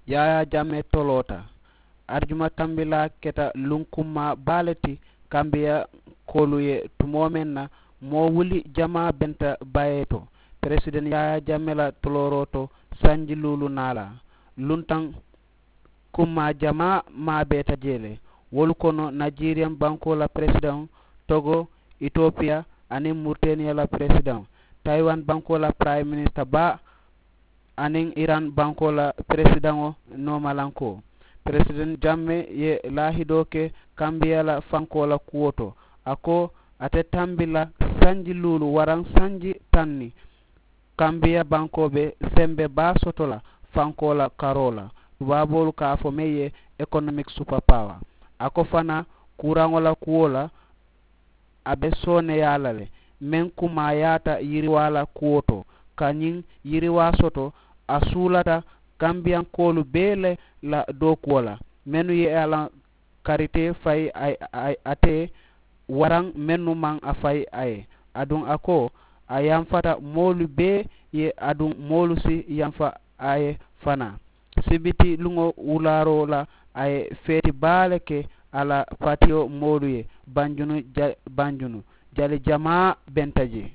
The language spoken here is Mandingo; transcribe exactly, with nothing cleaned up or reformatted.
Yaayaa jamme toloota. Arjuma tambilaa keta lunkummaa baa le ti kambiyankoolu ye tumoo meŋ na, moo wuli jamaa benta bayee to peresideŋ yaayaa jamme la tolooroo to sanji luulu naa la. Luntaŋ kummaa jamaa maabeeta jee le. Wolu kono najeriyaŋ bankoo la peresideŋo, togo, itopiya, aniŋ muriteniya la peresideŋo, tayiwan bankoo la piraayim minisita baa, aniŋ iran bankoo la peresidaŋo noomalankoo. Peresideŋ jamme ye laahidoo ke kambiya la fankoo la kuwo to. A ko ate tambi la sanji luulu waraŋ sanji taŋ ni kambiya bankoo be sembe baa soto la fankoo la karoo la, tubaaboolu ka a fo meŋ ye ekonomiki supapaawa. A ko fanaa kuuraŋo la kuwo la a be sooneyaa la le. Meŋ kumaayaata yiriwaa la kuwo to ka ñiŋ yiriwaa soto, a suulata kambiyankoolu bee le la dookuwo la, mennu ye a la karitee fayi a ye, ate waraŋ mennu maŋ a fayi a ye. Aduŋ a ko a yamfata moolu bee ye, aduŋ moolu si yamfa a ye fanaa. Sibiti luŋo wulaaroo la, a ye feeti baa le ke a la patiyo moolu ye. Banjunu ja banjunu jali jamaa benta jee.